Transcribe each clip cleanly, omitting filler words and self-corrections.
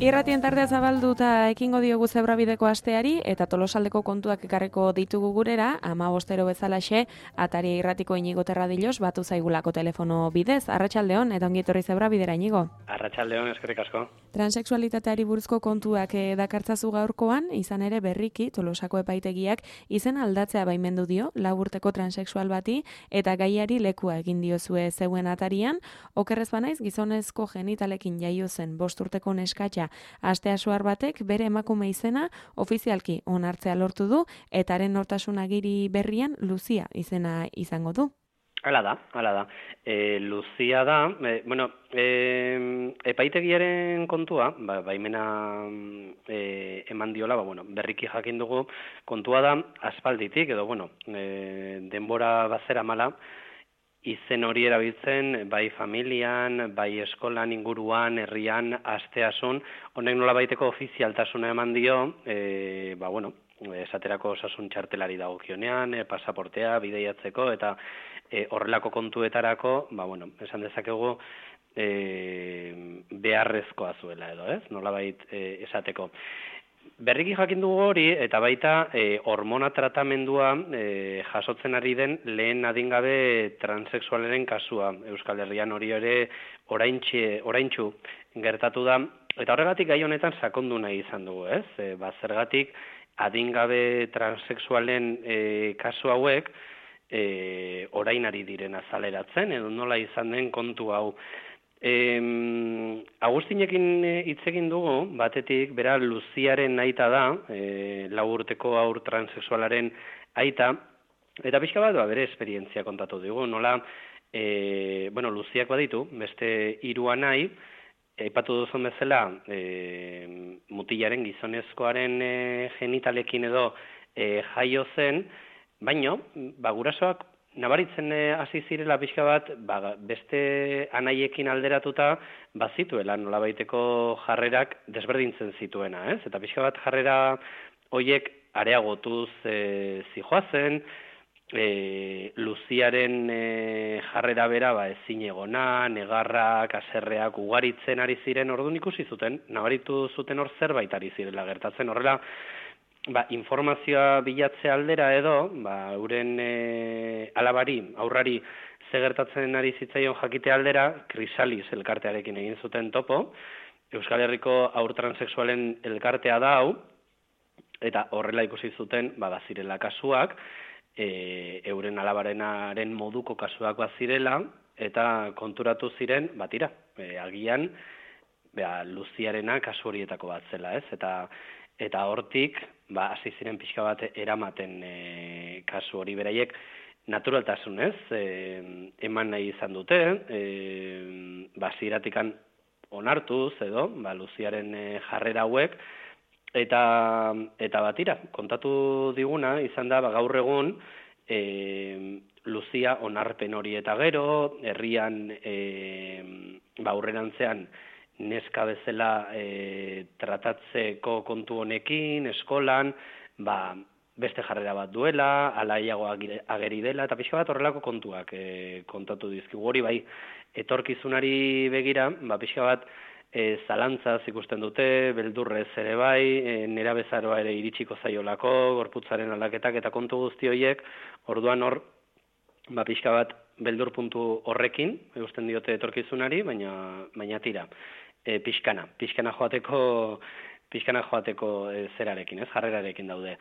Irratien tardea zabalduta ekingo diogu Zebrabideko asteari eta Tolosaldeko kontuak ekarreko ditugu gurera, 15 bezalaxe, Ataria Irratiko Inigo Terradilos batu zaigulako telefono bidez. Arratsaldeon eta ongi etorri Zebrabidera, Inigo. Arratsaldeon, eskerrik asko. Transexualitateari buruzko kontuak dakartzazu gaurkoan, izan ere berriki Tolosako epaitegiak izen aldatzea baimendu dio, 4 urteko transexual bati eta gaiari lekua egin diozue zeuen Atarian. Okerrez banaiz, gizonezko genitalekin jaio zen 5 urteko neskatxa Astea Suar batek bere emakume izena ofizialki onartzea lortu du eta haren nortasun agiri berrian Luzia izena izango du. Hala da. Luzia da, epaitegiaren kontua, baimena eman diola, berriki jakin dugu, kontua da aspalditik, edo, denbora bazera mala, izen hori erabiltzen, bai familian, bai eskolan, inguruan, herrian, asteasun, honek nola baiteko ofizialtasuna eman dio, esaterako osasun txartelari dagokionean, pasaportea, bideiatzeko, eta horrelako kontuetarako, esan dezakegu, beharrezkoa zuela edo, ez? Nolabait esateko. Berriki jakin dugu hori, eta baita hormona tratamendua jasotzen ari den lehen adingabe transexualaren kasua. Euskal Herrian hori ere oraintxu gertatu da, eta horregatik gai honetan sakondu nahi izan dugu, ez? Zergatik adingabe transexualen kasu hauek orain ari diren azaleratzen, edo nola izan den kontu hau. Agustinekin hitz egin dugu, batetik, bera Luziaren aita da, 4 urteko haur transexualaren aita, eta pixka bat bere esperientzia kontatu dugu, nola, Luziak baditu, beste 3 anai, aipatu duzun bezala, mutilaren gizonezkoaren genitalekin edo jaio zen, baino, gurasoak nabaritzen hasi zirela pixka bat, beste anaiekin alderatuta, bazituela nolabaiteko jarrerak desberdintzen zituena, ez? Eta pixka bat jarrera horiek areagotuz zijoazen, Luziaren jarrera bera ezin egona, negarrak, haserreak ugaritzen ari ziren, orduan ikusi zuten, nabaritu zuten hor zerbait ari zirela gertatzen, horrela, informazioa bilatze aldera edo, euren aurrari ze gertatzen ari zitzaion jakite aldera, Krisalis elkartearekin egin zuten topo, Euskal Herriko haur transexualen elkartea da hau, eta horrela ikusi zuten, bazirela kasuak, euren alabarenaren moduko kasuak bazirela, eta konturatu ziren, agian, Luziarena kasu horietako bat zela, ez? Eta hortik, hasi ziren pixka bat eramaten kasu hori beraiek naturaltasunez eman nahi izan dute, ziratikan onartuz edo, Luziaren jarrera hauek, eta kontatu diguna izan da, gaur egun, Luzia onarpen hori eta gero, herrian aurrerantzean, neska bezala tratatzeko kontu honekin, eskolan, beste jarrera bat duela, alaiago ageri dela, eta pixka bat horrelako kontuak kontatu dizkigu. Hori etorkizunari begira, pixka bat zalantzaz ikusten dute, beldurrez ere nera bezaroa ere iritsiko zaiolako, gorputzaren aldaketak eta kontu guzti horiek, orduan hor, pixka bat beldur puntu horrekin, eusten diote etorkizunari, baina tira. Pixkana joateko zerarekin, jarrerarekin daude.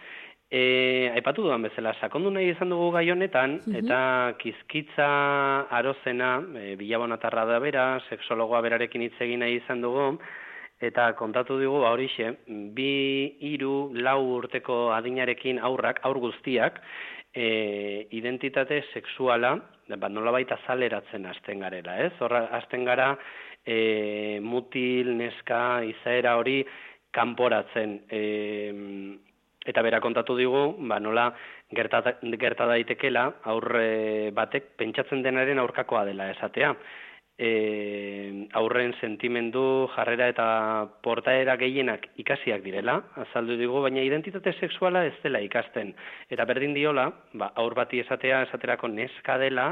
Aipatu dudan bezala, sakondu nahi izan dugu gai honetan, eta Kizkitza Arozena, bilabonatarra da bera, sexologoa berarekin hitz egin nahi izan dugu, eta kontatu dugu, horixe, 2, 3, 4 urteko adinarekin aur guztiak, identitate sexuala, nolabait azaleratzen hasten garela, ez? Horra hasten gara, mutil, neska, izaera hori kanporatzen. Eta bera kontatu digu, nola gerta daitekela aurre batek pentsatzen denaren aurkakoa dela esatea. Aurren sentimendu, jarrera eta portaera gehienak ikasiak direla, azaldu digu, baina identitate sexuala ez dela ikasten. Eta berdin diola, aur bati esaterako neska dela,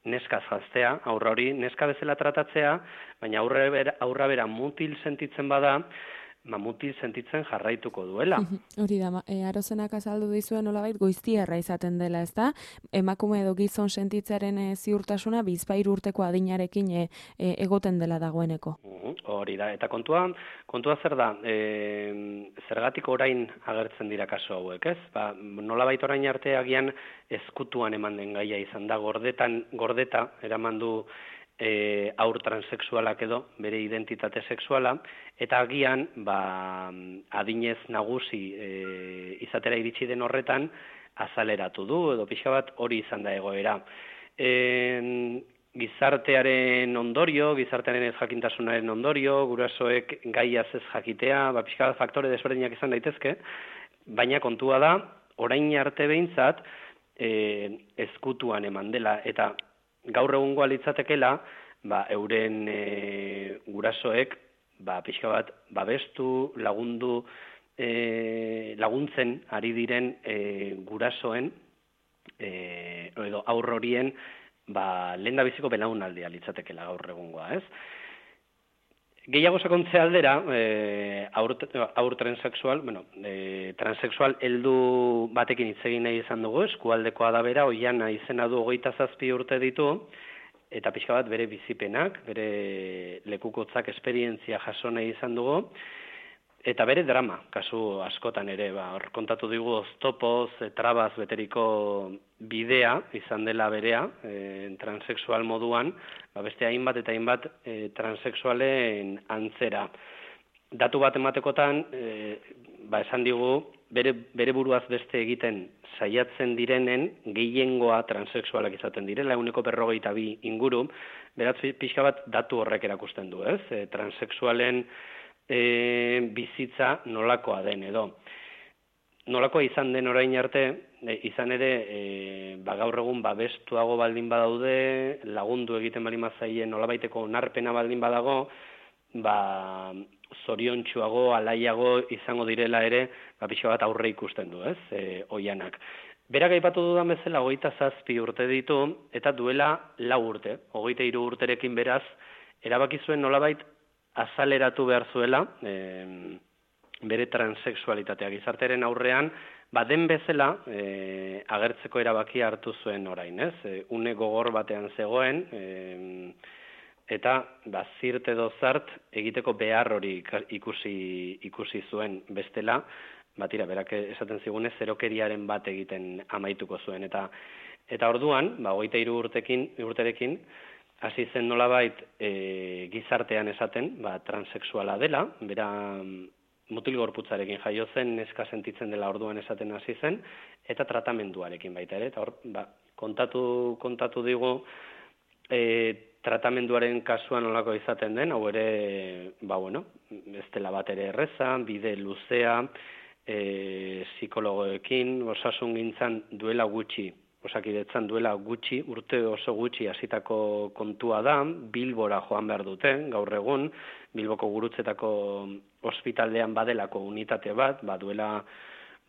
neska janztea, aurra hori neska bezala tratatzea, baina aurra bera mutil sentitzen bada, mutil sentitzen jarraituko duela. Hori da, Arozenak azaldu dizuen nolabait goiztiarra izaten dela, ezta? Emakume edo gizon sentitzaren ziurtasuna bizpahiru urteko adinarekin egoten dela dagoeneko. Hori da, eta kontua zer da, zergatik orain agertzen dira kasu hauek, ez? Nolabait orain arte agian ezkutuan eman den gaia izan da, gordeta eraman du haur transexualak edo, bere identitate sexuala, eta agian, adinez nagusi izatera iritsi den horretan, azaleratu du, edo pixka bat hori izan da egoera. Gizartearen ondorio, gizartearen ez jakintasunaren ondorio, gurasoek gaiaz ez jakitea, pixka bat faktore desberdinak izan daitezke, baina kontua da, orain arte behintzat, ezkutuan eman dela, eta gaur egungoa litzatekela, euren gurasoek, pixka bat, babestu, laguntzen ari diren gurasoen, edo aurr horien, lehendabiziko belaunaldia litzatekela gaur egungoa, ez? Gehiago sakontzea aldera, aur transexual, transexual heldu batekin hitz egin nahi izan dugu, eskualdekoa da bera, Oiana izena du 27 urte ditu, eta pixka bat bere bizipenak, bere lekukotzak esperientzia jaso nahi izan dugu, eta bere drama, kasu askotan ere, hor kontatu digu oztopoz, trabaz beteriko bidea izan dela berea, transexual moduan, beste hainbat eta hainbat transexualen antzera. Datu bat ematekotan, esan digu, bere buruaz beste egiten saiatzen direnen gehiengoa transexualak izaten direla, 152 inguru, beraz pixka bat datu horrek erakusten du, ez? Transexualen bizitza nolakoa den edo. Nolakoa izan den orain arte, izan ere, gaur egun babestuago baldin badaude, lagundu egiten baldin bazaien nolabaiteko onarpena baldin badago, zoriontsuago, alaiago izango direla ere, pixka bat aurre ikusten du, ez, Oianak. Berak aipatu dudan bezala 27 urte ditu, eta duela 4 urte, 23 urterekin beraz, erabaki zuen nolabait azaleratu behar zuela, bere transexualitatea gizarteren aurrean, den bezala agertzeko erabakia hartu zuen orain, ez? Une gogor batean zegoen, eta zirt edo zart egiteko behar hori ikusi zuen bestela, tira, berak esaten zigune zerokeriaren bat egiten amaituko zuen. Eta orduan, 23 urterekin, hasi zen nolabait gizartean esaten, transexuala dela, bera mutil gorputzarekin jaio zen, neska sentitzen dela orduan esaten hasi zen, eta tratamenduarekin baita ere. Eta hor, kontatu digu, tratamenduaren kasuan nolako izaten den, hau ere, ez dela bat ere erreza, bide luzea, psikologoekin, osasun gintzan duela gutxi, Osakidetzan duela gutxi, urte oso gutxi hasitako kontua da, Bilbora joan behar dute, gaur egun, Bilboko gurutzetako ospitaldean badelako unitate bat, duela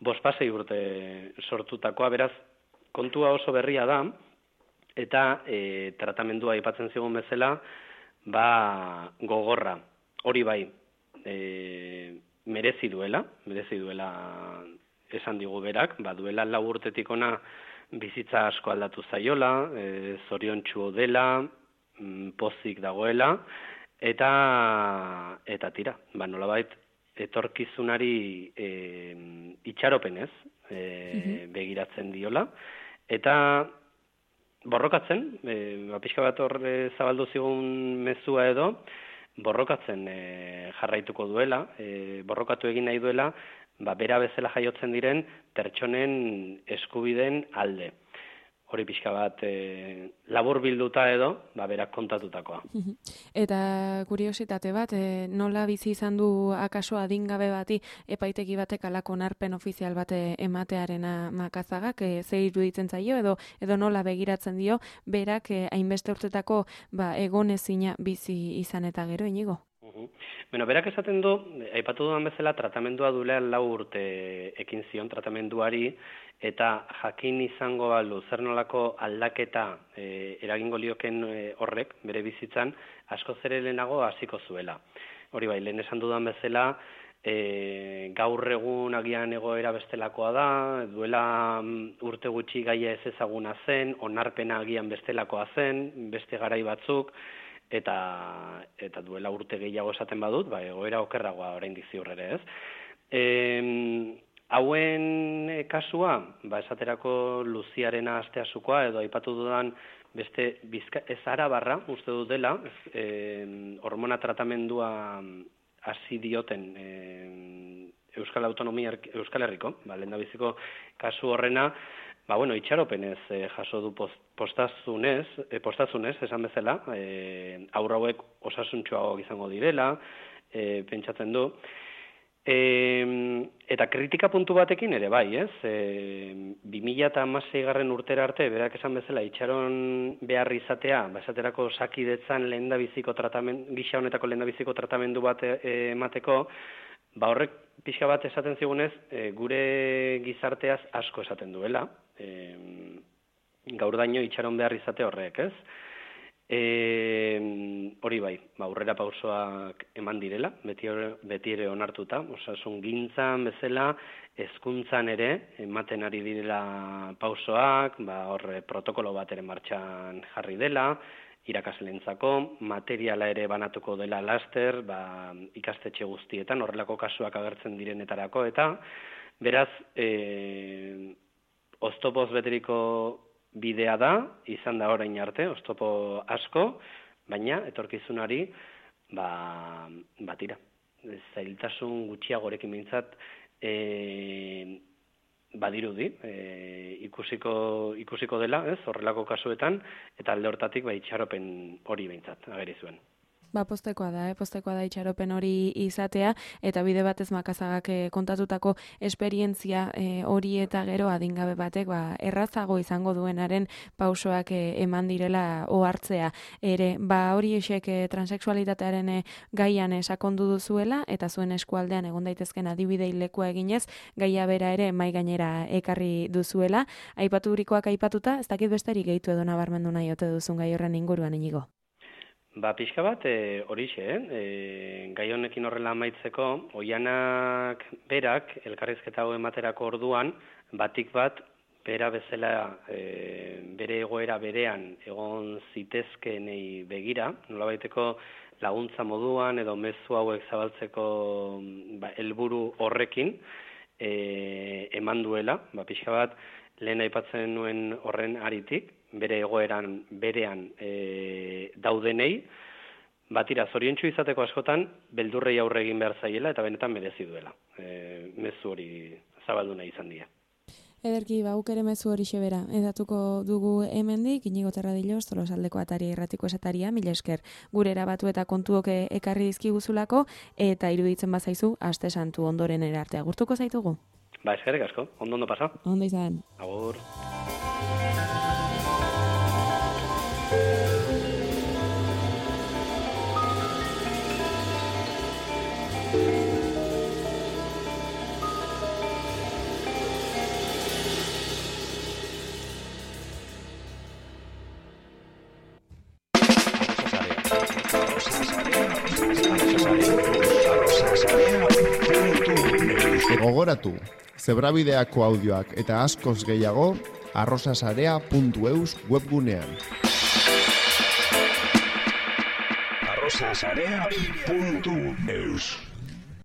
5 urte sortutakoa, beraz, kontua oso berria da, eta tratamendua aipatzen zigun bezala, gogorra, hori bai, merezi duela esan digu berak, duela 4 urtetik ona bizitza asko aldatu zaiola, zoriontsu dela, pozik dagoela, eta tira, nolabait etorkizunari itxaropenez begiratzen diola, eta borrokatzen, pixka bat hor zabaldu zigun mezua edo, borrokatzen jarraituko duela, borrokatu egin nahi duela, bera bezala jaiotzen diren pertsonen eskubideen alde. Hori pixka bat labur bilduta edo, berak kontatutakoa. Eta kuriositate bat, nola bizi izan du akaso adingabe bati epaitegi batek alako onarpen ofizial bate ematearena Makazagak, ze iruditzen zaio edo nola begiratzen dio, berak hainbeste urtetako egonezina bizi izan eta gero, Inigo? Berak esaten du, aipatu dudan bezala, tratamendua duela 4 urte ekin zion tratamenduari, eta jakin izango balu zer nolako aldaketa eragingo lioken horrek, bere bizitzan, asko ere lehenago hasiko zuela. Hori bai, lehen esan dudan bezala, gaur egun agian egoera bestelakoa da, duela urte gutxi gaia ez ezaguna zen, onarpena agian bestelakoa zen, beste garai batzuk, eta duela urte gehiago esaten badut, egoera okerragoa oraindik ziur ere, ez? Hauen kasua, esaterako Luziarena Asteasukoa, edo aipatu dudan beste ez Arabarra, uste dut dela, hormona tratamendua hasi dioten Euskal Herriko, lehendabiziko kasu horrena, itxaropenez jaso du postazunez, esan bezala, haur hauek osasuntsuagoak izango direla, pentsatzen du, eta kritika puntu batekin ere bai, ez? 2016 urtera arte, berak esan bezala, itxaron behar izatea, esaterako osakidetzan gisa honetako lehendabiziko tratamendu bat emateko, horrek pixka bat esaten zigunez, gure gizarteaz asko esaten duela, gaur daño itxaron behar izate horrek, ez? Hori bai, aurrera pausoak eman direla, beti ere onartuta, osasun gintzan bezala, hezkuntzan ere, ematen ari direla pausoak, horre protokolo bat ere martxan jarri dela, irakasleentzako, materiala ere banatuko dela laster, ikastetxe guztietan, horrelako kasuak agertzen direnetarako, eta beraz, oztopoz beteriko bidea da, izan da orain arte, oztopo asko, baina etorkizunari, tira, zailtasun gutxiagorekin behintzat, badirudi, ikusiko dela, ez, horrelako kasuetan, eta alde hortatik itxaropen hori behintzat, ageri zuen. Postekoa da itxaropen hori izatea, eta bide batez Makazagak kontatutako esperientzia hori eta gero adingabe batek errazago izango duenaren pausoak eman direla ohartzea. Ere, hori esek transexualitatearen gaian sakondu duzuela, eta zuen eskualdean egon daitezken adibidei lekua eginez, gaia bera ere mai gainera ekarri duzuela. Aipaturikoak aipatuta, ez dakit besterik gehitu edo nabarmendu nahi ote duzun gai horren inguruan, Inigo? Pixka bat horixe, gai honekin horrela amaitzeko, Oianak berak, elkarrizketa hau ematerako orduan, batik bat, bera bezala bere egoera berean egon zitezkenei begira, nolabaiteko laguntza moduan edo mezu hauek zabaltzeko helburu horrekin eman duela, pixka bat lehen aipatzen nuen horren aritik, bere egoeran berean daudenei, batira zoriontsu izateko askotan, beldurrei aurre egin behar zaiela eta benetan merezi duela. Mezu hori zabaldu nahi izan dira. Ederki, guk ere mezu hori xebera. Edatuko dugu hemendik, Inigo Terradilos, Tolosaldeko Ataria Irratiko Esataria, mila esker gure erabatu eta kontuok ekarri dizkiguzulako, eta iruditzen bazaizu, aste santu ondoren erarte agurtuko zaitugu. Eskerrik asko, ondo pasa. Ondo izan. Agur. Gogoratu, Zebrabideako audioak eta askoz gehiago arrosasarea.eus webgunean. arrosasarea.eus